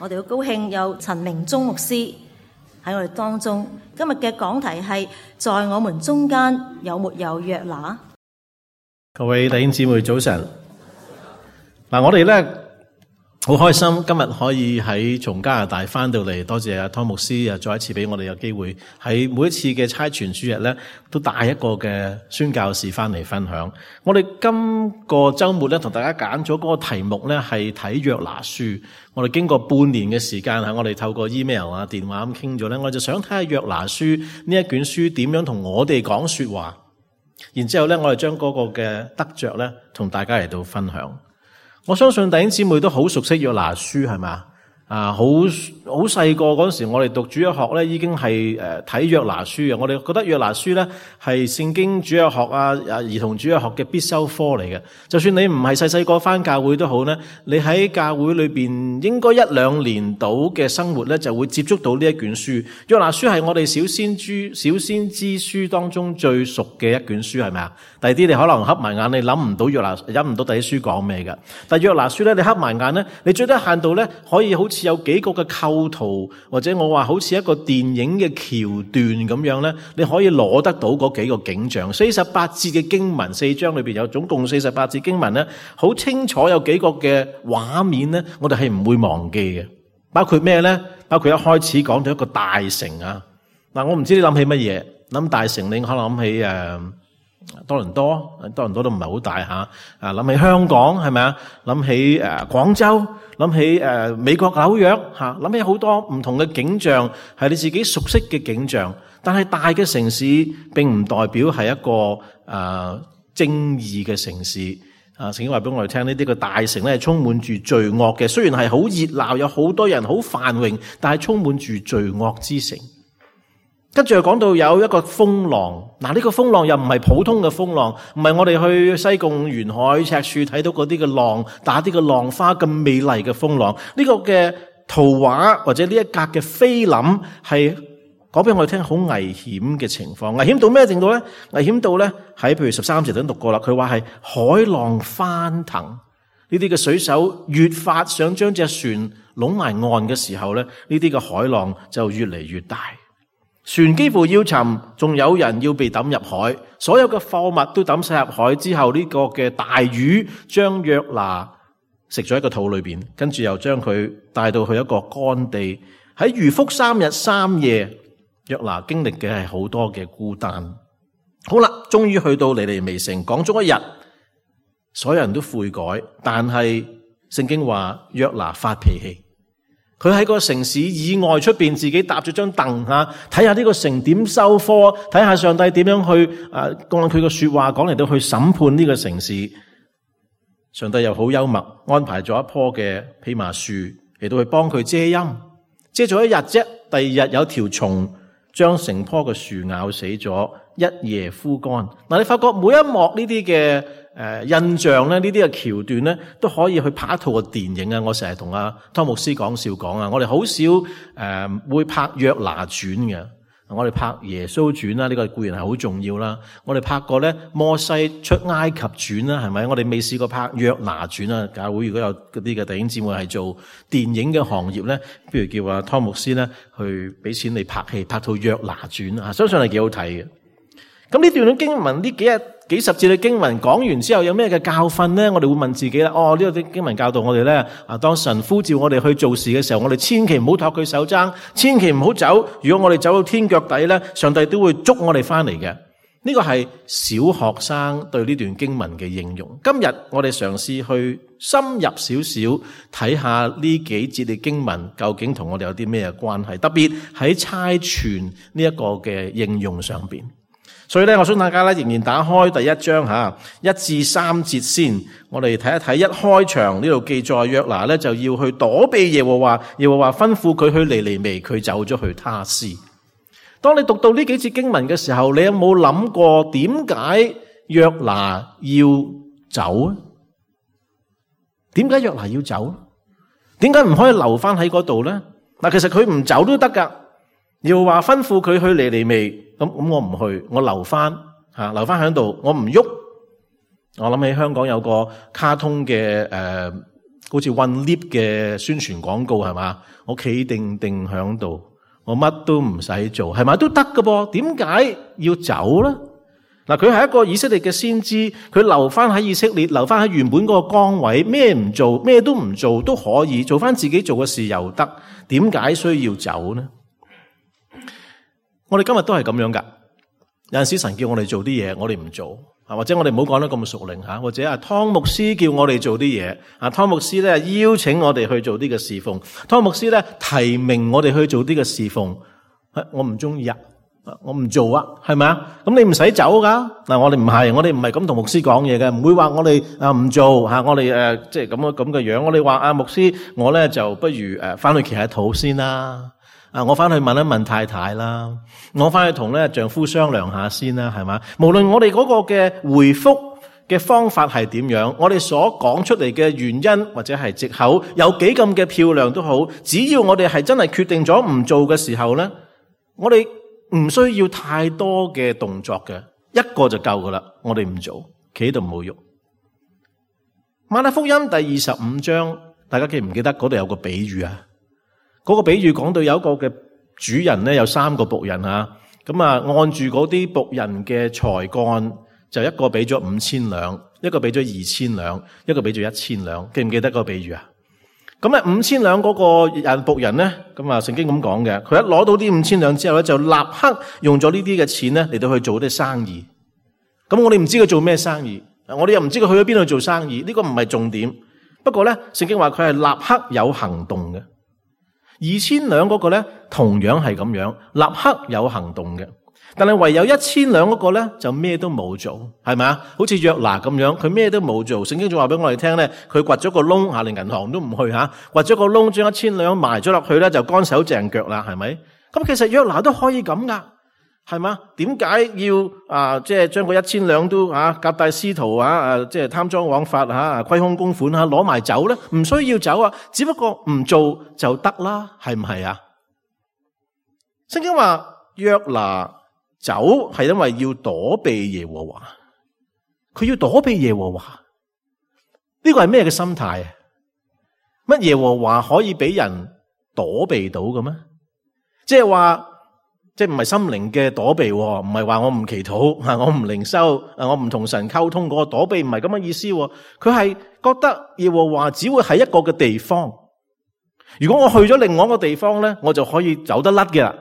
我哋好高興有陳明忠牧師喺我哋當中。今日嘅講題係在我們中間有沒有約拿？各位弟兄姊妹早晨。我哋咧好開心今日可以喺從加拿大翻到嚟，多謝阿湯牧師再一次俾我哋有機會喺每一次嘅差傳主日咧，都帶一個嘅宣教士翻嚟分享。我哋今個周末咧同大家揀咗嗰個題目咧係睇約拿書。我哋經過半年嘅時間，我哋透過 email 啊、電話咁傾咗咧，我就想睇下約拿書呢一卷書點樣同我哋講說話。然之後咧，我哋將嗰個嘅得着咧同大家嚟到分享。我相信弟兄姊妹都好熟悉約拿書，係咪？好細個嗰時，我哋讀主日學咧，已經係睇約拿書嘅。我哋覺得約拿書咧係聖經主日學兒童主日學嘅必修科嚟嘅。就算你唔係細個返教會都好咧，你喺教會裏邊應該1、2年到嘅生活咧，就會接觸到呢一卷書。約拿書係我哋小先知書當中最熟嘅一卷書，係咪啊？第二啲你可能瞌埋眼，你諗唔到第啲書講咩㗎。但約拿書咧，你瞌埋眼咧，你最低限度咧可以好似有幾個嘅構圖，或者我話好似一個電影嘅橋段咁樣咧，你可以攞得到嗰幾個景象。48節嘅經文，4章裏邊有總共48節經文咧，好清楚有幾個嘅畫面咧，我哋係唔會忘記嘅。包括咩咧？包括一開始講到一個大城啊。我唔知你諗起乜嘢，諗大城你可能諗起多倫多都唔係好大吓，諗起香港係咪啊？諗起廣州，諗起美國紐約吓，諗起好多唔同嘅景象，係你自己熟悉嘅景象。但係大嘅城市並唔代表係一個正義嘅城市。聖經話俾我哋聽，呢啲個大城咧係充滿住罪惡嘅。雖然係好熱鬧，有好多人，好繁榮，但係充滿住罪惡之城。跟住又講到有一個風浪，呢個風浪又唔係普通嘅風浪，唔係我哋去西貢沿海赤柱睇到嗰啲嘅浪，打啲嘅浪花咁美麗嘅風浪。呢個嘅圖畫或者呢一格嘅菲林係講俾我哋聽好危險嘅情況。危險到咩程度咧？危險到咧喺譬如13節都讀過啦，佢話係海浪翻騰，呢啲嘅水手越發想將隻船攏埋岸嘅時候咧，呢啲嘅海浪就越嚟越大。船幾乎要沉，仲有人要被抌入海，所有嘅貨物都抌晒入海之後，呢個嘅大魚將約拿食咗喺個肚裏邊，跟住又將佢帶到去一個乾地。喺魚腹3日3夜，約拿經歷嘅係好多嘅孤單。好啦，終於去到尼尼微城，講咗一日，所有人都悔改，但係聖經話約拿發脾氣。佢喺個城市以外出邊自己搭咗張凳睇下呢個城點收科，睇下上帝點樣去按佢個說話講嚟到去審判呢個城市。上帝又好幽默，安排咗一棵嘅蓖麻樹嚟到去幫佢遮陰，遮咗一日啫。第二日有條蟲將成棵嘅樹咬死咗，一夜枯乾。你發覺每一幕呢啲嘅印象咧，呢啲嘅橋段咧，都可以去拍一套嘅電影啊！我成日同阿湯牧師講笑講啊，我哋好少會拍約拿傳嘅，我哋拍耶穌傳啦，呢個固然係好重要啦。我哋拍過咧摩西出埃及傳啦，係咪？我哋未試過拍約拿傳啊！教會如果有嗰啲嘅弟兄姊妹係做電影嘅行業咧，不如叫阿湯牧師咧去俾錢你拍戲，拍套約拿傳啊！相信係幾好睇嘅。咁呢段嘅經文，呢幾十節嘅經文講完之後，有咩嘅教訓咧？我哋會問自己啦。呢個經文教導我哋咧，當神呼召我哋去做事嘅時候，我哋千祈唔好托佢手踭，千祈唔好走。如果我哋走到天腳底咧，上帝都會捉我哋翻嚟嘅。呢個係小學生對呢段經文嘅應用。今日我哋嘗試去深入少少睇下呢幾節嘅經文究竟同我哋有啲咩關係，特別喺差傳呢一個嘅應用上邊。所以咧，我想大家咧仍然打開第1章1至3節先，我哋睇一睇。一開場呢度記載約拿咧就要去躲避耶和華，耶和華吩咐佢去尼尼微，佢走咗去他施。當你讀到呢幾節經文嘅時候，你有冇諗過點解約拿要走啊？點解約拿要走？點解唔可以留翻喺嗰度咧？其實佢唔走都得噶。耶和華吩咐佢去尼尼微，咁我唔去，我留翻喺度，我唔喐。我諗起香港有個卡通嘅好似混 lift 嘅宣傳廣告係嘛？我企定定響度，我乜都唔使做，係咪都得噶噃？點解要走咧？嗱，佢係一個以色列嘅先知，佢留翻喺以色列，留翻喺原本嗰個崗位，咩唔做，咩都唔做都可以，做翻自己做嘅事又得，點解需要走呢？我哋今日都係咁樣噶，有陣時神叫我哋做啲嘢，我哋唔做，或者我哋唔好講得咁屬靈吓，或者湯牧師叫我哋做啲嘢，湯牧師咧邀請我哋去做啲嘅侍奉，湯牧師咧提名我哋去做啲嘅侍奉，我唔中意啊。我唔做啊，係咪啊？咁你唔使走噶。嗱，我哋唔係咁同牧師講嘢嘅，唔會話我哋唔做吓，我哋即係咁嘅樣。我哋話牧師，我咧就不如翻去祈下禱先啦。我翻去問一問太太啦，我翻去同咧丈夫商量下先啦，係嘛？無論我哋嗰個嘅回覆嘅方法係點樣，我哋所講出嚟嘅原因或者係藉口有幾咁嘅漂亮都好，只要我哋係真係決定咗唔做嘅時候咧，我哋唔需要太多嘅動作嘅，一個就夠噶啦。我哋唔做，企喺度冇喐。馬太福音第25章，大家記唔記得嗰度有個比喻啊？嗰個比喻講到有一個嘅主人咧，有3個僕人啊，咁按住嗰啲僕人嘅才幹，就一個俾咗5000兩，一個俾咗2000兩，一個俾咗1000兩。記唔記得嗰個比喻啊？咁5000兩嗰個僕人咧，咁聖經咁講嘅，佢一攞到啲5000兩之後咧，就立刻用咗呢啲嘅錢咧嚟到去做啲生意。咁我哋唔知佢做咩生意，我哋又唔知佢去咗邊度做生意，呢個唔係重點。不過咧，聖經話佢係立刻有行動嘅。2000兩嗰個咧，同樣係咁樣，立刻有行動嘅。但係唯有1000兩嗰個咧，就咩都冇做，係咪啊？好似約拿咁樣，佢咩都冇做。聖經仲話俾我哋聽咧，佢掘咗個窿，連銀行都唔去吓，掘咗個窿，將1000兩埋咗落去咧，就乾手淨腳啦，係咪？咁其實約拿都可以咁噶，係嘛？點解要即係將個1000兩都夾帶私逃即係貪贓枉法虧空公款攞埋走咧？唔需要走啊，只不過唔做就得啦，係唔係啊？聖經話約拿走係因為要躲避耶和華，佢要躲避耶和華，呢個係咩嘅心態啊？乜耶和華可以俾人躲避到嘅咩？即係話，即係唔係心靈嘅躲避，唔係話我唔祈禱，我唔靈修，我唔同神溝通嗰個躲避，唔係咁嘅意思。佢係覺得耶和華只會喺一個嘅地方，如果我去咗另外一個地方咧，我就可以走得甩嘅啦。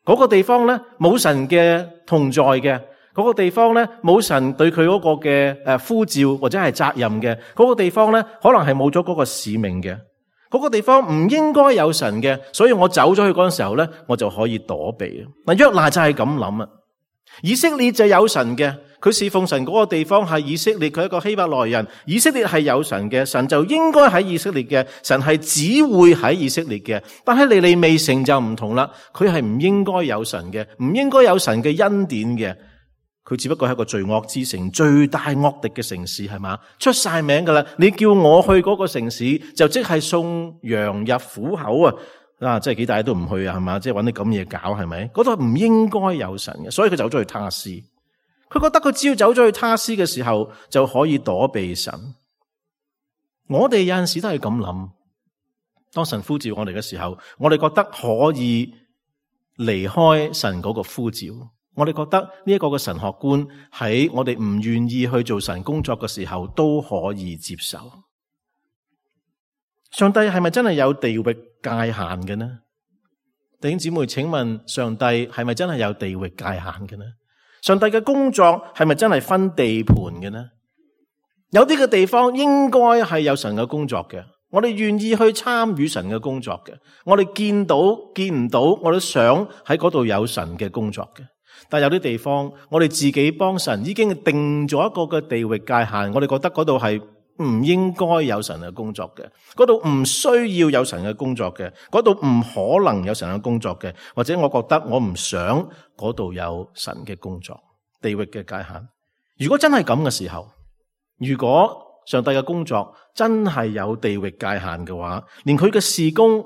嗰個地方咧冇神嘅同在嘅，嗰個地方咧冇神對佢嗰個嘅呼召或者係責任嘅，嗰個地方咧可能係冇咗嗰個使命嘅，嗰個地方唔應該有神嘅，所以我走咗去嗰陣時候咧，我就可以躲避。嗱，約拿就係咁諗啊。以色列就有神嘅，佢侍奉神嗰個地方係以色列，佢係一個希伯來人，以色列係有神嘅，神就應該喺以色列嘅，神係只會喺以色列嘅。但係尼尼微城就唔同啦，佢係唔應該有神嘅，唔應該有神嘅恩典嘅，佢只不過係一個罪惡之城，最大惡敵嘅城市，係嘛？出晒名噶啦，你叫我去嗰個城市，就即係送羊入虎口啊！即係幾大都唔去啊，係嘛？即係搵啲咁嘢搞，係咪？嗰度唔應該有神嘅，所以佢走咗去他施。佢覺得佢只要走咗去他施嘅時候，就可以躲避神。我哋有陣時都係咁諗，當神呼召我哋嘅時候，我哋覺得可以離開神嗰個呼召，我哋覺得呢一個嘅神學觀喺我哋唔願意去做神工作嘅時候都可以接受。上帝係咪真係有地域界限嘅呢？弟兄姊妹，請問上帝係咪真係有地域界限嘅呢？上帝嘅工作係咪真係分地盤嘅呢？有啲嘅地方應該係有神嘅工作嘅，我哋願意去參與神嘅工作嘅，我哋見到見唔到，我都想喺嗰度有神嘅工作嘅。但有啲地方，我哋自己幫神已經定咗一個嘅地域界限，我哋覺得嗰度係唔應該有神嘅工作嘅，嗰度唔需要有神嘅工作嘅，嗰度唔可能有神嘅工作嘅，或者我覺得我唔想嗰度有神嘅工作，地域嘅界限。如果真係咁嘅時候，如果上帝嘅工作真係有地域界限嘅話，連佢嘅事工，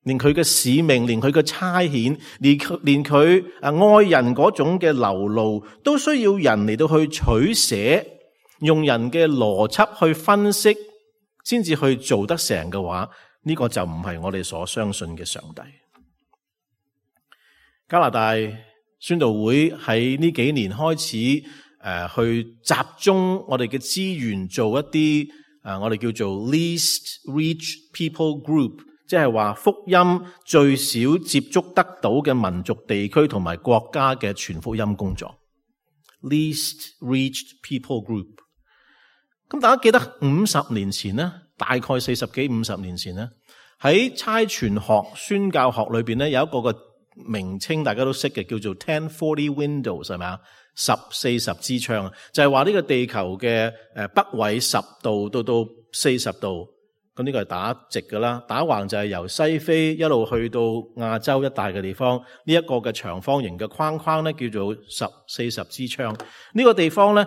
連佢嘅使命，連佢嘅差遣，連佢愛人嗰種嘅流露，都需要人嚟到去取捨，用人嘅邏輯去分析先至去做得成嘅話，呢個就唔係我哋所相信嘅上帝。加拿大宣道會喺呢幾年開始去集中我哋嘅資源做一啲我哋叫做 least reach people group， 即係話福音最少接觸得到嘅民族地區同埋國家嘅傳福音工作。least reached people group。咁大家記得50年前呢，大概40幾50年前呢，喺差傳學宣教學裏邊呢，有一個嘅名稱大家都識嘅，叫做 1040 windows， 係咪啊？1040之窗，就係話呢個地球嘅北緯10度到40度，咁呢個係打直㗎啦，打橫就係由西非一路去到亞洲一帶嘅地方，呢一個嘅長方形嘅框框咧叫做1040之窗。呢個地方咧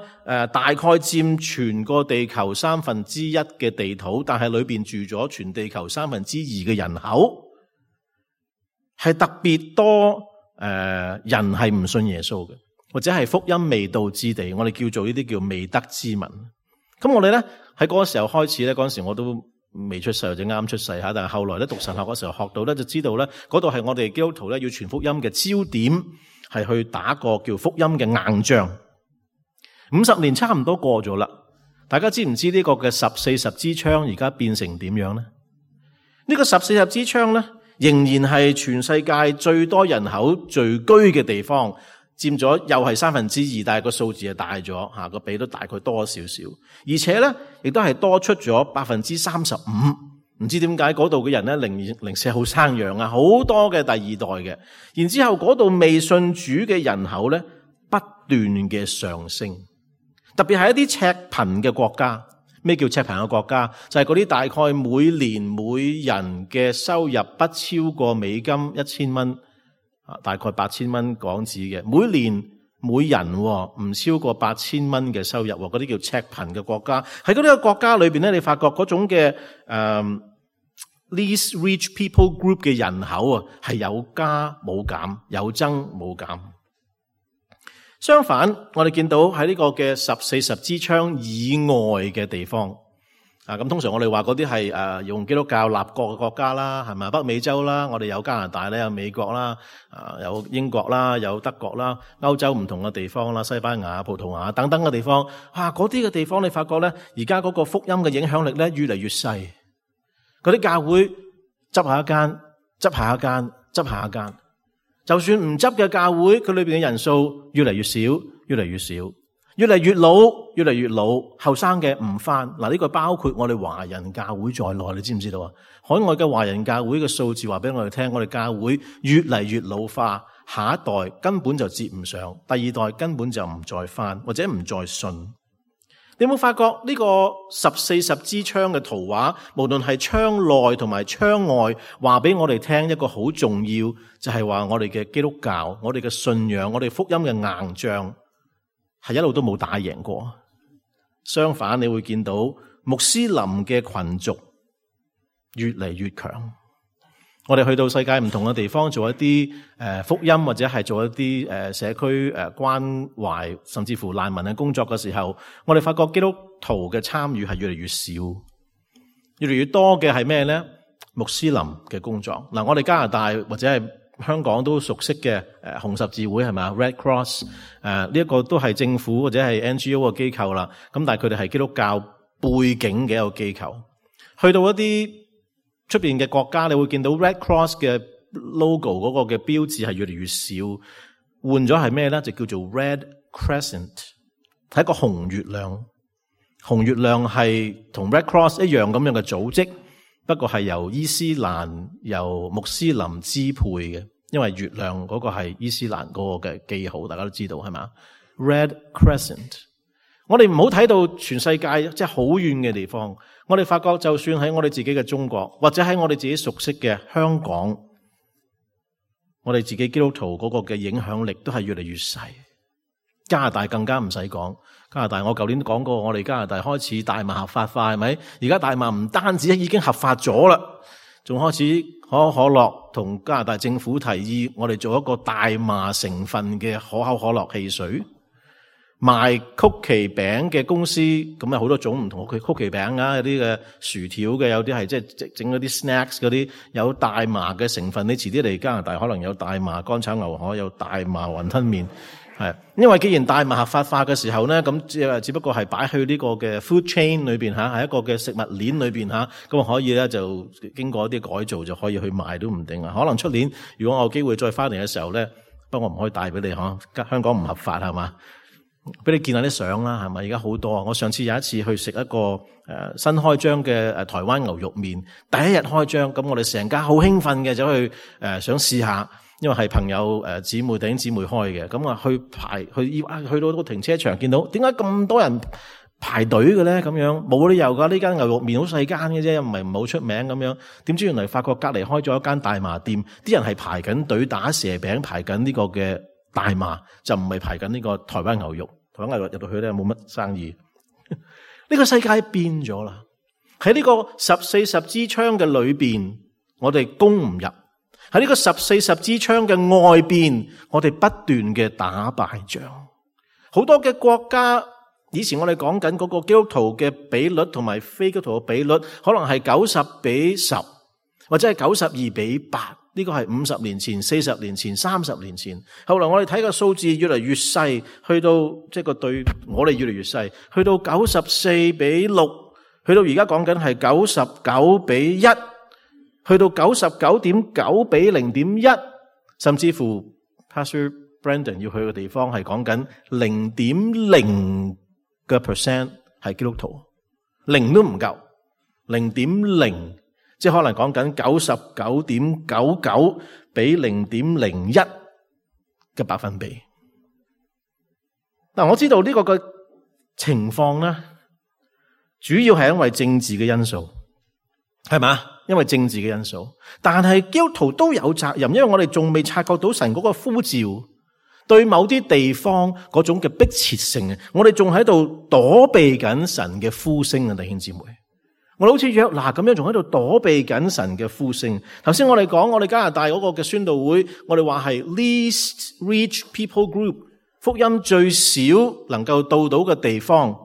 大概佔全個地球1/3嘅地土，但係裏邊住咗全地球2/3嘅人口，係特別多人係唔信耶穌嘅，或者係福音未到之地，我哋叫做呢啲叫未得之民。咁我哋咧喺嗰個時候開始咧，嗰陣時我都未出世或者啱出世吓，但係後來咧讀神學嗰時候學到咧，就知道咧嗰度係我哋基督徒咧要傳福音嘅焦點，係去打個叫福音嘅硬仗。50年差唔多過咗啦，大家知唔知呢個嘅1040之窗而家變成點樣咧？呢個1040之窗咧，仍然係全世界最多人口聚居嘅地方，佔咗又係2/3，但係個數字係大咗吓，個比都大概多少少，而且咧亦都係多出咗35%。唔知點解嗰度嘅人咧零舍好生養啊，好多嘅第二代嘅，然之後嗰度未信主嘅人口咧不斷嘅上升，特別係一啲赤貧嘅國家。咩叫赤貧嘅國家？就係嗰啲大概每年每人嘅收入不超過美金1000蚊，大概8000蚊港紙嘅，每年每人唔超過8000蚊嘅收入，嗰啲叫赤貧嘅國家。喺嗰啲個國家裏邊咧，你發覺嗰種嘅least rich people group 嘅人口啊，係有加冇減，有增冇減。相反，我哋見到喺呢個嘅1040之窗以外嘅地方，咁通常我哋話嗰啲係用基督教立國嘅國家啦，係咪？北美洲啦，我哋有加拿大咧，有美國啦，有英國啦，有德國啦，歐洲唔同嘅地方啦，西班牙、葡萄牙等等嘅地方，嗰啲嘅地方你發覺咧，而家嗰個福音嘅影響力咧越嚟越細，嗰啲教會執下一間，執下一間，執下一間。就算唔執嘅教會，佢裏邊嘅人數越嚟越少，越嚟越少，越嚟越老，越嚟越老，後生嘅唔返。嗱，呢個包括我哋華人教會在內，你知唔知道啊？海外嘅華人教會嘅數字話俾我哋聽，我哋教會越嚟越老化，下一代根本就接唔上，第二代根本就唔再返，或者唔再信。你有冇發覺呢個1040之窗嘅圖畫，無論係窗內同埋窗外，話俾我哋聽一個好重要，就係話我哋嘅基督教、我哋嘅信仰、我哋福音嘅硬仗係一路都冇打贏過。相反，你會見到穆斯林嘅群族越嚟越強。我哋去到世界唔同嘅地方做一啲福音，或者係做一啲社區關懷，甚至乎難民嘅工作嘅時候，我哋發覺基督徒嘅參與係越嚟越少，越嚟越多嘅係咩咧？穆斯林嘅工作。嗱，我哋加拿大或者係香港都熟悉嘅紅十字會係咪 Red Cross 呢一個都係政府或者係 NGO 嘅機構啦。咁但係佢哋係基督教背景嘅一個機構，去到一啲出邊嘅國家，你會見到 Red Cross 嘅 logo 嗰個嘅標誌係越嚟越少，換咗係咩咧？就叫做 Red Crescent， 係一個紅月亮。紅月亮係同 Red Cross 一樣咁樣嘅組織，不過係由伊斯蘭、由穆斯林支配嘅，因為月亮嗰個係伊斯蘭嗰個嘅記號，大家都知道係嘛 ？Red Crescent。我哋唔好睇到全世界即係好遠嘅地方，我哋發覺就算喺我哋自己嘅中國，或者喺我哋自己熟悉嘅香港，我哋自己基督徒嗰個嘅影響力都係越嚟越細。加拿大更加唔使講，加拿大我舊年都講過，我哋加拿大開始大麻合法化，係咪？而家大麻唔單止已經合法咗啦，仲開始可口可樂同加拿大政府提議，我哋做一個大麻成分嘅可口可樂汽水。賣曲奇餅嘅公司，咁有好多種唔同嘅曲奇餅啊，有啲嘅薯條嘅，有啲係即係整嗰啲 snacks 嗰啲，有大麻嘅成分。你遲啲嚟加拿大可能有大麻乾炒牛河，有大麻雲吞麵。係，因為既然大麻合法化嘅時候咧，咁只不過係擺去呢個嘅 food chain 裏邊吓，喺一個嘅食物鏈裏邊吓，咁可以咧就經過一啲改造就可以去賣都唔定啊。可能出年如果我有機會再翻嚟嘅時候咧，不過我唔可以帶俾你嗬，香港唔合法係嘛，俾你見下啲相啦，係咪？而家好多啊！我上次有一次去食一個新開張嘅台灣牛肉麵，第一日開張，咁我哋成家好興奮嘅走去想試下。因為係朋友姊妹弟兄姊妹開嘅，咁啊去到個停車場見到，點解咁多人排隊嘅咧？咁樣冇理由噶，呢間牛肉麵好細間嘅啫，唔係唔好出名咁樣。點知原來發覺隔籬開咗一間大麻店，啲人係排緊隊打蛇餅，排緊呢個嘅大麻，就唔係排緊呢個台灣牛肉。台灣牛肉入到去咧冇乜生意。呢個世界變咗啦，喺呢個14十支槍嘅裏邊，我哋攻唔入。喺呢個14十支槍嘅外邊，我哋不斷嘅打敗仗。好多嘅國家，以前我哋講緊嗰個基督徒嘅比率同埋非基督徒嘅比率，可能係90:10，或者係92:8。呢個係50年前、40年前、30年前。後來我哋睇個數字越嚟越細，去到即係個對我哋越嚟越細，去到94:6，去到而家講緊係99:1。去到99.9:0.1，甚至乎 Pastor Brandon 要去嘅地方係講緊0.0% 係基督徒，0都唔夠，0.0，即係可能講緊99.99%0.01嘅百分比。嗱，我知道呢個嘅情況咧，主要係因為政治嘅因素，係嘛？因為政治嘅因素，但係基督徒都有責任，因為我哋仲未察覺到神嗰個呼召，對某啲地方嗰種嘅迫切性，我哋仲喺度躲避緊神嘅呼聲啊！弟兄姊妹，我哋好似約拿咁樣，仲喺度躲避緊神嘅呼聲。頭先我哋講，我哋加拿大嗰個嘅宣道會，我哋話係 least reach people group， 福音最少能夠到嘅地方，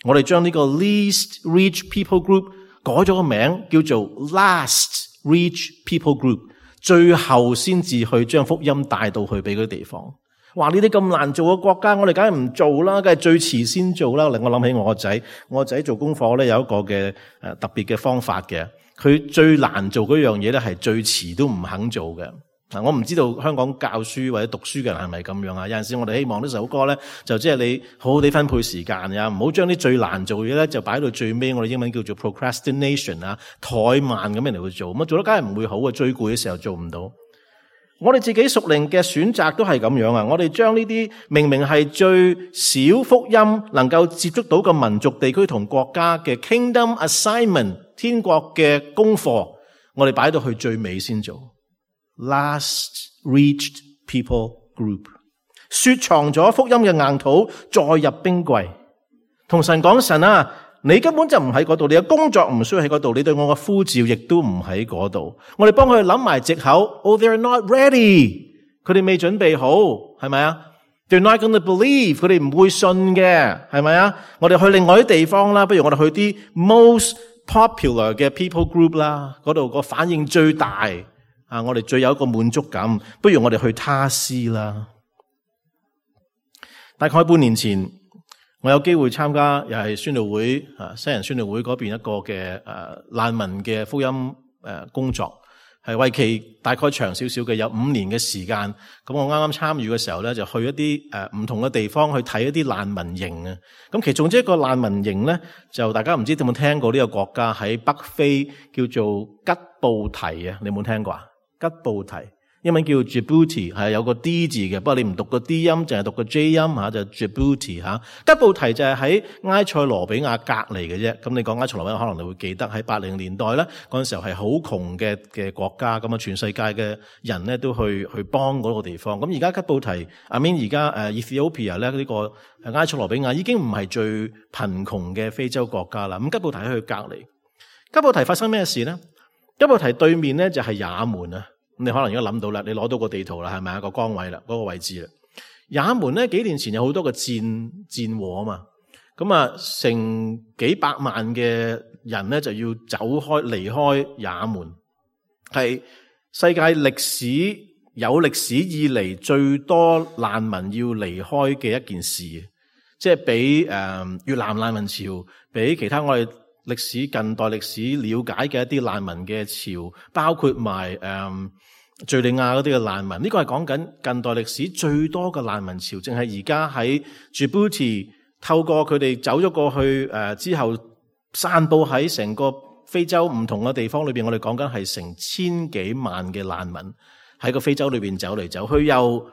我哋將呢個 least reach people group改咗個名叫做 Last Reach People Group， 最後先至去將福音帶到去俾嗰啲地方。話呢啲咁難做嘅國家，我哋梗係唔做啦，梗係最遲先做啦。令我諗起我個仔做功課咧有一個嘅特別嘅方法嘅，佢最難做嗰樣嘢咧係最遲都唔肯做嘅。我唔知道香港教書或者讀書嘅人係咪咁樣啊？有陣時我哋希望呢首歌咧，就即係你好好地分配時間呀，唔好將啲最難做嘅嘢咧就擺到最尾。我哋英文叫做 procrastination 啊，怠慢咁樣嚟去做，咁做得梗係唔會好啊！最攰嘅時候做唔到。我哋自己屬靈嘅選擇都係咁樣啊！我哋將呢啲明明係最少福音能夠接觸到嘅民族地區同國家嘅 kingdom assignment 天國嘅功課，我哋擺到去最尾先做。Last reached people group， 雪藏咗福音嘅硬土，再入冰櫃，同神講：神啊，你根本就唔喺嗰度，你嘅工作唔需要喺嗰度，你對我嘅呼召亦都唔喺嗰度。我哋幫佢哋諗埋藉口 ，Oh, they're not ready， 佢哋未準備好，係咪啊 ？They're not going to believe， 佢哋唔會信嘅，係咪啊？我哋去另外啲地方啦，不如我哋去啲 most popular 嘅 people group 啦，嗰度個反應最大。我哋最有一個滿足感，不如我哋去他施啦。大概半年前，我有機會參加又係宣道會西人宣道會嗰邊一個嘅難民嘅福音工作，係為期大概長少少嘅，有5年嘅時間。咁我啱啱參與嘅時候咧，就去一啲唔同嘅地方去睇一啲難民營啊。咁其中一個難民營咧，就大家唔知有冇聽過呢個國家喺北非叫做吉布提啊？你有冇聽過啊？吉布提英文叫 Djibouti， 係有個 D 字嘅，不過你唔讀個 D 音，淨係讀個 J 音就 Djibouti 吓。吉布提就係喺埃塞羅比亞隔離嘅啫。咁你講埃塞羅比亞，可能你會記得喺80年代咧，嗰陣時候係好窮嘅國家，咁啊全世界嘅人咧都去幫嗰個地方。咁而家吉布提而家Ethiopia 咧呢個埃塞羅比亞已經唔係最貧窮嘅非洲國家啦。咁吉布提喺佢隔離，吉布提發生咩事咧？吉布提對面咧就係也門啊，你可能而家諗到啦，你攞到個地圖啦，係咪啊？個崗位啦，嗰個位置啦。也門咧幾年前有好多個戰禍啊嘛，咁啊成幾百萬嘅人咧就要離開也門，係世界有歷史以嚟最多難民要離開嘅一件事，即係比越南難民潮，比其他我哋近代歷史了解嘅一啲難民嘅潮，包括埋敘利亞嗰啲嘅難民，呢個係講緊近代歷史最多嘅難民潮，淨係而家喺 Djibouti 透過佢哋走咗過去之後，散布喺成個非洲唔同嘅地方裏邊，我哋講緊係成千幾萬嘅難民喺個非洲裏邊走嚟走去，由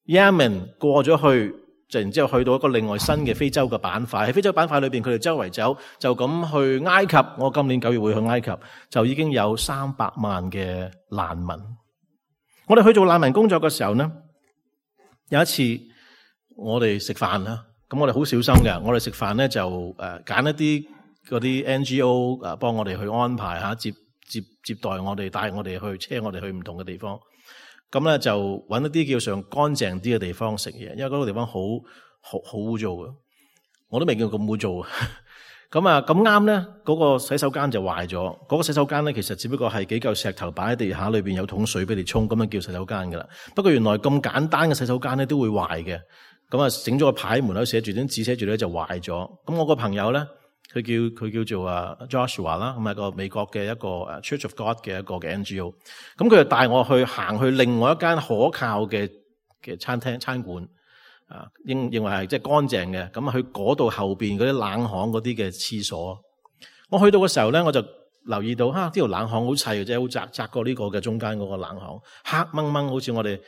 Yemen 過咗去，就然之後去到一個另外新嘅非洲嘅板塊。喺非洲板塊裏邊，佢哋周圍走，就咁去埃及。我今年9月會去埃及，就已經有300萬嘅難民。我哋去做難民工作嘅時候呢，有一次我哋食飯啦，咁我哋好小心嘅。我哋食飯咧就揀一啲嗰啲 NGO 幫我哋去安排下接待我哋，帶我哋去，車我哋去唔同嘅地方。咁咧就揾一啲叫上乾淨啲嘅地方食嘢，因為嗰個地方好污糟嘅，我都未見過咁污糟。咁啊咁啱咧，嗰個洗手間就壞咗。嗰個洗手間咧，其實只不過係幾嚿石頭擺喺地下，裏邊有桶水俾你沖，咁樣叫洗手間噶啦。不過原來咁簡單嘅洗手間咧都會壞嘅。咁啊整咗個牌，門口寫住啲字，寫住咧就壞咗。咁我個朋友咧，佢叫做Joshua 啦，咁係個美國嘅一個Church of God 嘅一個嘅 NGO。咁佢就帶我行去另外一間可靠嘅餐館。認為係即係乾淨嘅，咁去嗰度後邊嗰啲冷巷嗰啲嘅廁所，我去到嘅時候咧，我就留意到呢條冷巷好細嘅啫，好窄過呢個嘅中間嗰個冷巷，黑掹掹，好似我哋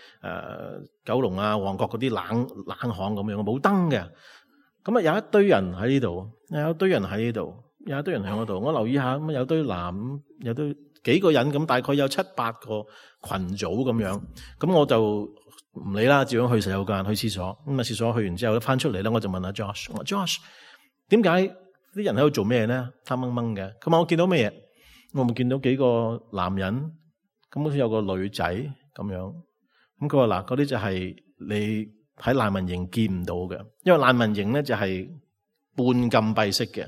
九龍啊、旺角嗰啲冷巷咁樣，冇燈嘅。咁啊有一堆人喺呢度，有一堆人喺嗰度，我留意下，咁有堆男，有堆幾個人，咁大概有7-8個群組咁樣，咁我就唔理啦，照樣去洗手間，去廁所。咁啊，廁所去完之後，翻出嚟咧，我就問阿 Josh， 我話 Josh， 點解啲人喺度做咩咧？黑掹掹嘅。咁啊，我見到咩嘢？我咪見到幾個男人，咁好似有個女仔咁樣。咁佢話嗱，嗰啲就係你喺難民營見唔到嘅，因為難民營咧就係半禁閉式嘅。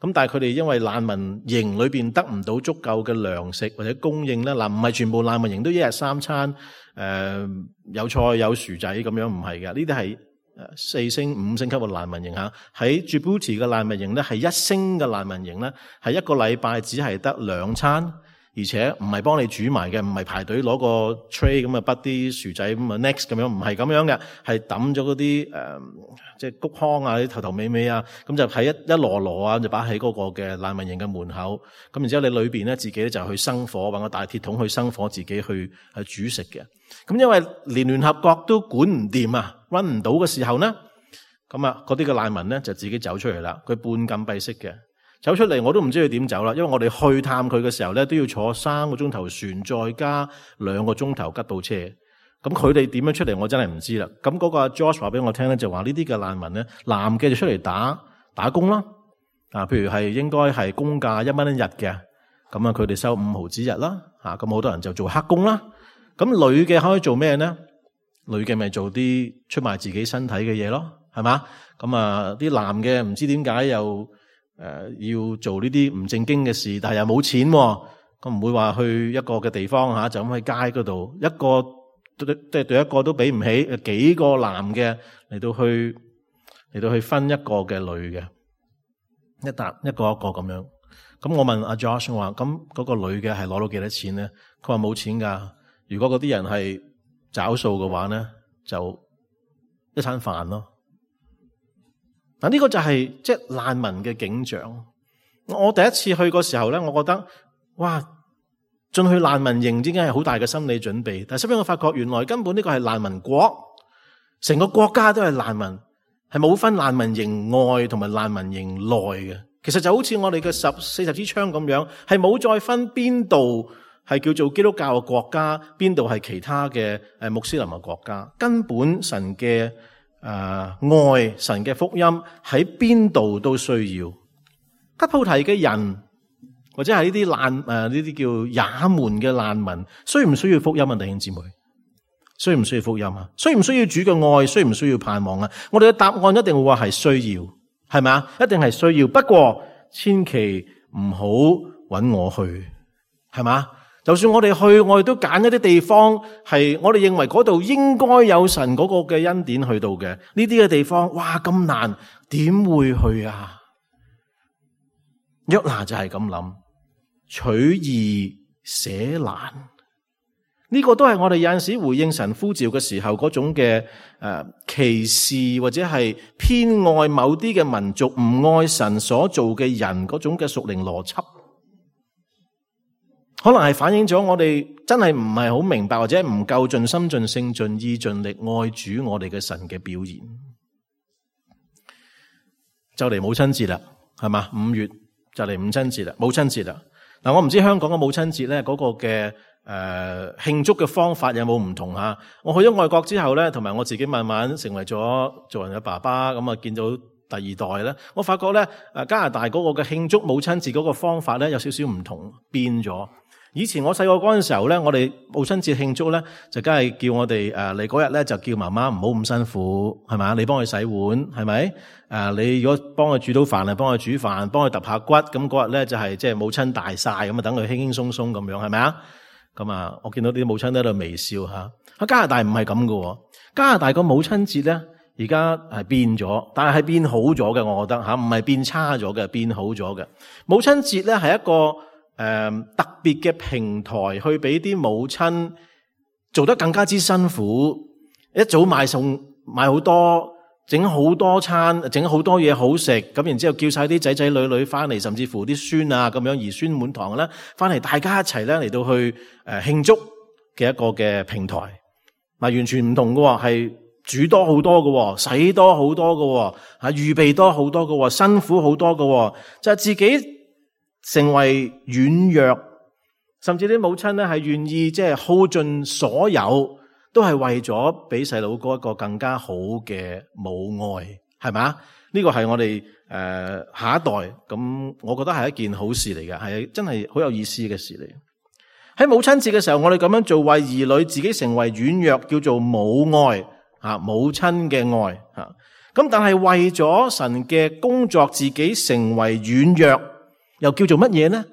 咁但係佢哋因為難民營裏邊得唔到足夠嘅糧食或者供應咧，唔係全部難民營都一日3餐，有菜有薯仔咁樣，唔係嘅。呢啲係4星5星級嘅難民營吓。喺 Djibouti 嘅難民營咧係1星嘅難民營咧，係一個禮拜只係得2餐，而且唔係幫你煮埋嘅，唔係排隊攞個 tray 咁啊，滗啲薯仔咁啊 next 咁樣，唔係咁樣嘅，係抌咗嗰啲即係谷糠啊，啲頭尾尾啊，咁就喺一籮籮啊，就擺喺嗰個嘅難民營嘅門口。咁然之後你裏邊咧自己咧就去生火，搵個大鐵桶去生火，自己去煮食嘅。咁因為連聯合國都管唔掂啊，run 唔到嘅時候呢，咁啊嗰啲嘅難民咧就自己走出嚟啦。佢半禁閉式嘅。走出嚟我都唔知佢點走啦，因為我哋去探佢嘅時候咧都要坐3個鐘頭船，再加2個鐘頭吉普車。咁佢哋點樣出嚟我真係唔知啦。咁嗰個 Josh 話俾我聽咧，就話呢啲嘅難民咧，男嘅就出嚟打工啦。譬如係應該係工價1蚊一日嘅，咁啊佢哋收5毫子日啦。咁好多人就做黑工啦。咁女嘅可以做咩咧？女嘅咪做啲出賣自己身體嘅嘢咯，係嘛？咁啊啲男嘅唔知點解又要做呢啲唔正經嘅事，但係又冇錢，咁唔會話去一個嘅地方就咁喺街嗰度，一個對一個都俾唔起，幾個男嘅嚟到去分一個嘅女嘅，一個一個咁樣。咁我問阿 Josh 話，咁嗰個女嘅係攞到幾多錢咧？佢話冇錢噶，如果嗰啲人係找數嘅話咧，就一餐飯咯。嗱，呢個就係即係難民嘅景象。我第一次去嗰時候咧，我覺得哇，進去難民營已經係好大嘅心理準備。但係後尾我發覺，原來根本呢個係難民國，成個國家都係難民，係冇分難民營外同埋難民營內嘅。其實就好似我哋嘅40支槍咁樣，係冇再分邊度係叫做基督教嘅國家，邊度係其他嘅穆斯林嘅國家。根本神嘅愛，神嘅福音喺邊度都需要。吉普提嘅人或者係呢啲呢啲叫也門嘅難民，需唔需要福音啊？弟兄姊妹，需唔需要福音啊？需唔需要主嘅愛？需唔需要盼望啊？我哋嘅答案一定會話係需要，係咪啊？一定係需要。不過千祈唔好揾我去，係嘛？就算我哋去，我哋都揀一啲地方係我哋認為嗰度應該有神嗰個嘅恩典去到嘅。呢啲嘅地方，哇咁難，點會去啊？約拿就係咁諗，取易捨難。呢個都係我哋有陣時回應神呼召嘅時候嗰種嘅歧視，或者係偏愛某啲嘅民族，唔愛神所做嘅人嗰種嘅屬靈邏輯，可能係反映咗我哋真係唔係好明白，或者唔夠盡心盡性盡意盡力愛主我哋嘅神嘅表現。就嚟母親節啦，係嘛？5月就嚟母親節啦，母親節啦。嗱，我唔知香港嘅母親節咧嗰個嘅慶祝嘅方法有冇唔同吓？我去咗外國之後咧，同埋我自己慢慢成為咗做人嘅爸爸，咁啊見到第二代咧，我發覺咧加拿大嗰個嘅慶祝母親節嗰個方法咧有少少唔同，變咗。以前我細個嗰陣時候咧，我哋母親節慶祝咧，就梗係叫我哋你嗰日咧就叫媽媽唔好咁辛苦，係咪？你幫佢洗碗，係咪？你如果幫佢煮到飯，幫佢煮飯，幫佢揼下骨，咁嗰日咧就係即係母親大晒，咁啊等佢輕輕鬆鬆咁樣，係咪啊？咁啊，我見到啲母親喺度微笑吓。喺加拿大唔係咁噶，加拿大個母親節咧而家係變咗，但係變好咗嘅，我覺得吓，唔係變差咗嘅，變好咗嘅。母親節咧係一個特別嘅平台，去俾啲母親做得更加之辛苦，一早買餸買好多，整好多餐，整好多嘢好食，咁然之後叫晒啲仔仔女女翻嚟，甚至乎啲孫啊咁樣兒孫滿堂咧，翻嚟大家一齊咧嚟到去慶祝嘅一個嘅平台，完全唔同嘅，係煮多好多嘅，洗多好多嘅，預備多好多嘅，辛苦好多嘅，就係自己成為軟弱，甚至啲母親咧係願意即係耗盡所有，都係為咗俾細佬哥一個更加好嘅母愛，係咪？呢個係我哋下一代，咁我覺得係一件好事嚟嘅，係真係好有意思嘅事嚟。喺母親節嘅時候，我哋咁樣做，為兒女自己成為軟弱，叫做母愛母親嘅愛咁，但係為咗神嘅工作，自己成為軟弱，又叫做乜嘢呢？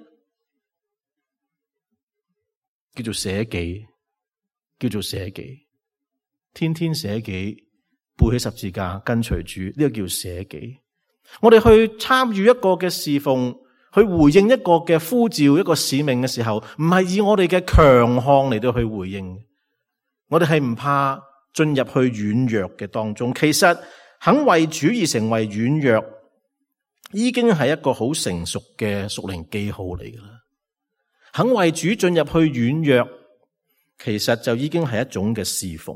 叫做捨己，叫做捨己，天天捨己，背起十字架跟隨主，呢個叫捨己。我哋去參與一個嘅侍奉，去回應一個嘅呼召，一個使命嘅時候，唔係以我哋嘅強項嚟到去回應，我哋係唔怕進入去軟弱嘅當中。其實肯為主而成為軟弱，已經係一個好成熟嘅屬靈記號嚟㗎啦。肯為主進入去軟弱，其實就已經係一種嘅侍奉。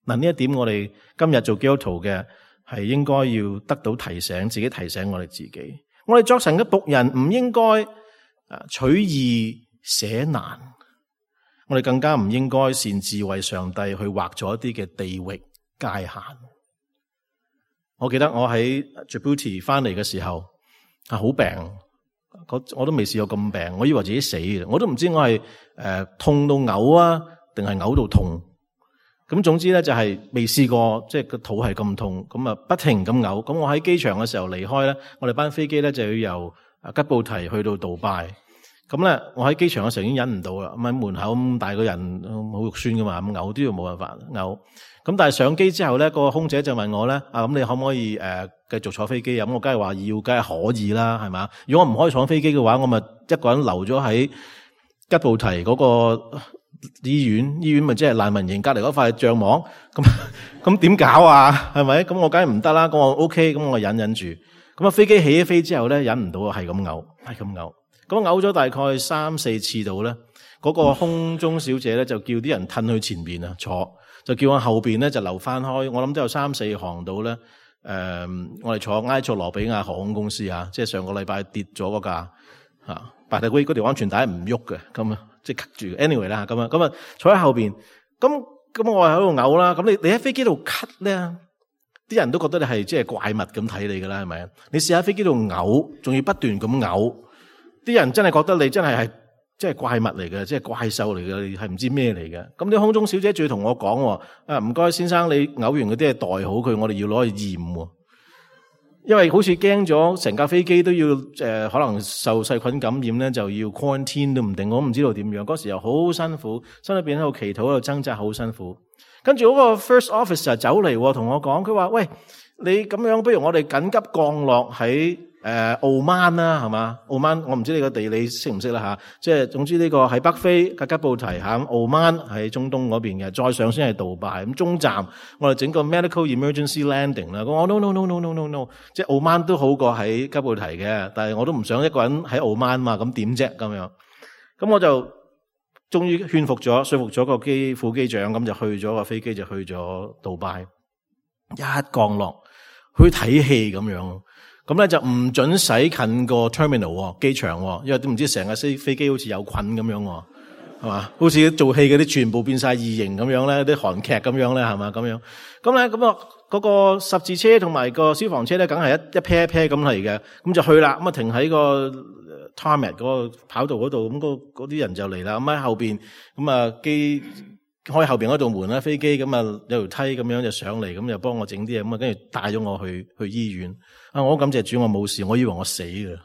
嗱，呢一點我哋今日做基督徒嘅係應該要得到提醒，自己提醒我哋自己。我哋作神嘅僕人唔應該取易捨難，我哋更加唔應該擅自為上帝去劃咗一啲嘅地域界限。我記得我喺 Djibouti 翻嚟嘅時候好病，我都未試過咁病，我以為自己死嘅，我都唔知我係痛到嘔啊，定係嘔到痛。咁總之咧就係未試過，即係個肚係咁痛，咁啊不停咁嘔。咁我喺機場嘅時候離開咧，我哋班飛機咧就要由吉布提去到杜拜。咁咧我喺機場嘅時候已經忍唔到啦，咁喺門口咁大個人好肉酸噶嘛，咁嘔都要冇辦法嘔。咁但係上機之後咧，個空姐就問我咧，咁你可唔可以繼續坐飛機？咁我梗係話要，梗係可以啦，係嘛？如果我唔可以坐飛機嘅話，我咪一個人留咗喺吉布提嗰個醫院咪即係難民營隔離嗰塊帳幕，咁點搞啊？係咪？咁我梗係唔得啦。咁我 OK，咁我忍住。咁啊飛機起飛之後咧，忍唔到係咁嘔，係咁嘔。咁嘔咗大概3-4次度咧，嗰個空中小姐咧就叫啲人褪去前面啊坐，就叫我後邊咧就留翻開。我諗都有3-4行度咧。我哋坐埃塞羅比亞航空公司啊，即係上個禮拜跌咗嗰架白大龜嗰條安全帶唔喐嘅，咁啊即係吸住。anyway 啦，咁啊坐喺後邊，咁我喺度嘔啦。咁你喺飛機度咳咧，啲人都覺得你係即係怪物咁睇你噶啦，係咪？你試下飛機度嘔，仲要不斷咁嘔，啲人真係覺得你真係即係怪物嚟嘅，即係怪獸嚟嘅，係唔知咩嚟嘅。咁啲空中小姐仲要同我講，唔該先生，你嘔完嗰啲係袋好佢，我哋要攞去驗。因為好似驚咗成架飛機都要可能受細菌感染咧，就要 quarantine 都唔定，我唔知道點樣。嗰時又好辛苦，心裏邊喺度祈禱，喺度掙扎，好辛苦。跟住嗰個 first officer 走嚟同我講，佢話：喂，你咁樣，不如我哋緊急降落喺澳曼啦，係嘛？澳曼我唔知你個地理識唔識啦吓，即係總之呢個喺北非嘅吉布提，喺澳曼喺中東嗰邊嘅，再上先係杜拜。咁中站我哋整個 medical emergency landing 啦。我 no， 即係澳曼都好過喺吉布提嘅，但係我都唔想一個人喺澳曼嘛，咁點啫咁樣？咁我就終於說服咗個副機長，咁就去咗個飛機就去咗杜拜，一降落去睇戲咁樣。咁咧就唔准使近個 terminal 機場，因為都唔知成架飛機好似有菌咁樣，係嘛？好似做戲嗰啲全部變晒異形咁樣咧，啲韓劇咁樣咧，係嘛？咁樣咁咧咁啊，嗰個十字車同埋個消防車咧，梗係一 pair 一 pair 咁嚟嘅，咁就去啦。咁啊停喺個 tarmac 嗰個跑道嗰度，咁嗰啲人就嚟啦。咁喺後邊咁啊機開後邊嗰道門啦，飛機咁啊有條梯咁樣就上嚟，咁就幫我整啲嘢，咁啊跟住帶咗我去醫院。我好感謝主，我冇事，我以為我死嘅，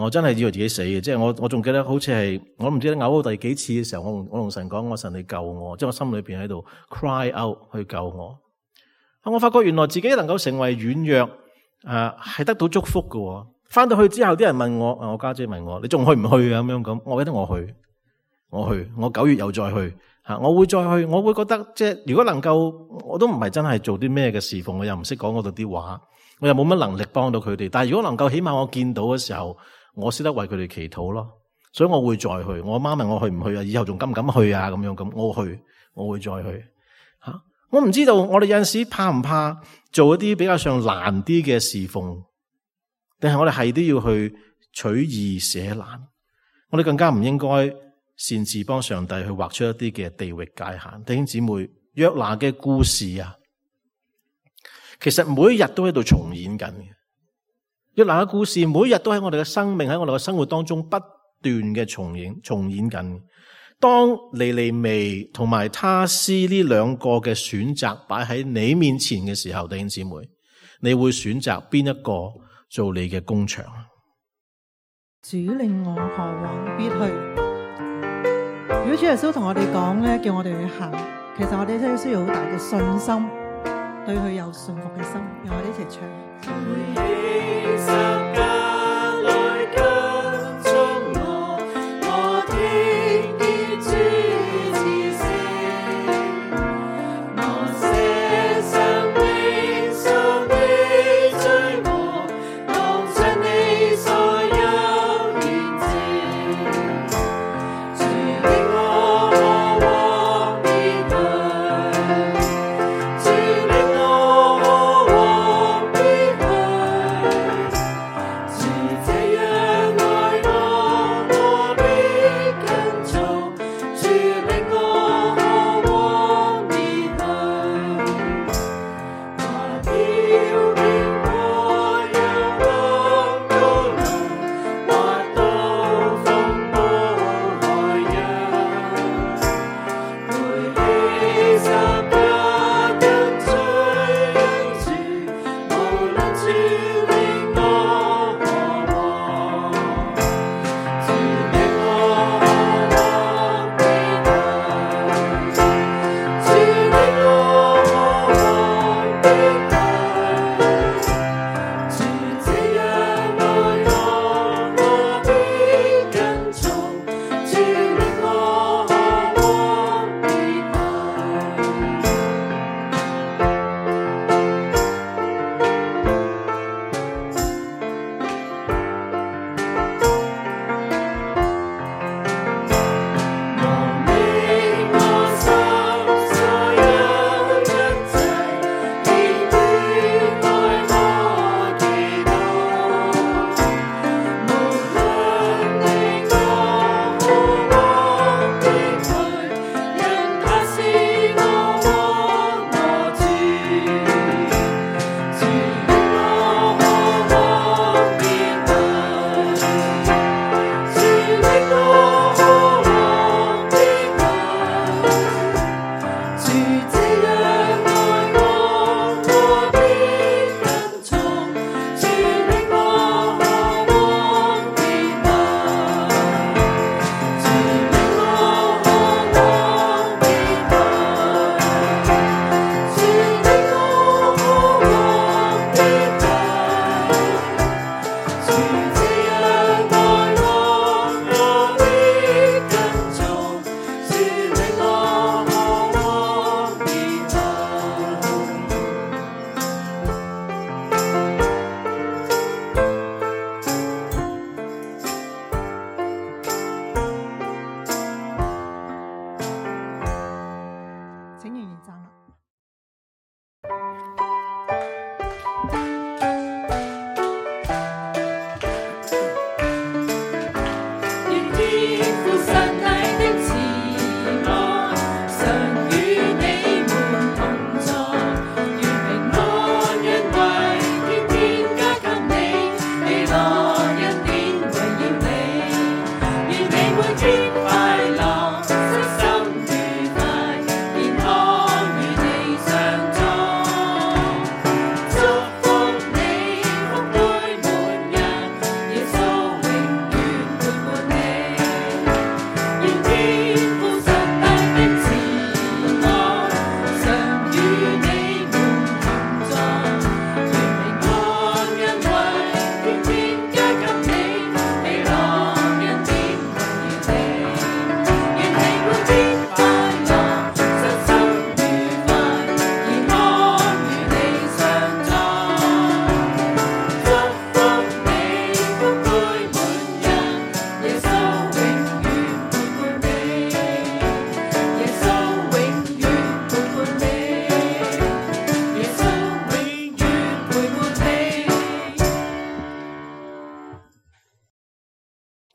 我真係以為自己死嘅，即係我仲記得好似係我唔知嘔到第幾次嘅時候，我同神講，我神你救我，即係我心裏邊喺度 cry out 去救我。我發覺原來自己能夠成為軟弱，係得到祝福嘅。翻到去之後，啲人問我，我家姐問我，你仲去唔去啊？咁樣咁，我記得我去，我9月又再去，我會再去，我會覺得即係如果能夠，我都唔係真係做啲咩嘅侍奉，我又唔識講嗰度啲話。我又冇乜能力幫到佢哋，但係如果能夠起碼我見到嘅時候，我識得為佢哋祈禱咯，所以我會再去。我媽問我去唔去啊？以後仲敢唔敢去啊？咁樣咁，我去，我會再去。我唔知道我哋有陣時怕唔怕做一啲比較上難啲嘅侍奉，定係我哋係都要去取易捨難？我哋更加唔應該擅自幫上帝去畫出一啲嘅地域界限。弟兄姊妹，約拿嘅故事啊，其實每一日都喺度重演緊嘅。約拿嘅故事每一日都喺我哋嘅生命，喺我哋嘅生活當中不斷嘅重演緊。當尼尼微同埋他施呢兩個嘅選擇擺喺你面前嘅時候，弟兄姊妹，你會選擇邊一個做你嘅工場？主令我何往必去？如果主耶穌同我哋講咧，叫我哋去行，其實我哋真係需要好大嘅信心，對佢有信服嘅心。讓我哋一齊唱。請仍然站立。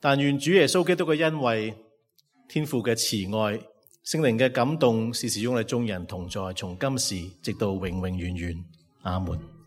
但願主耶穌基督嘅恩惠、天父嘅慈愛、聖靈嘅感動，時時與我哋眾人同在，從今時直到永永遠遠。阿門。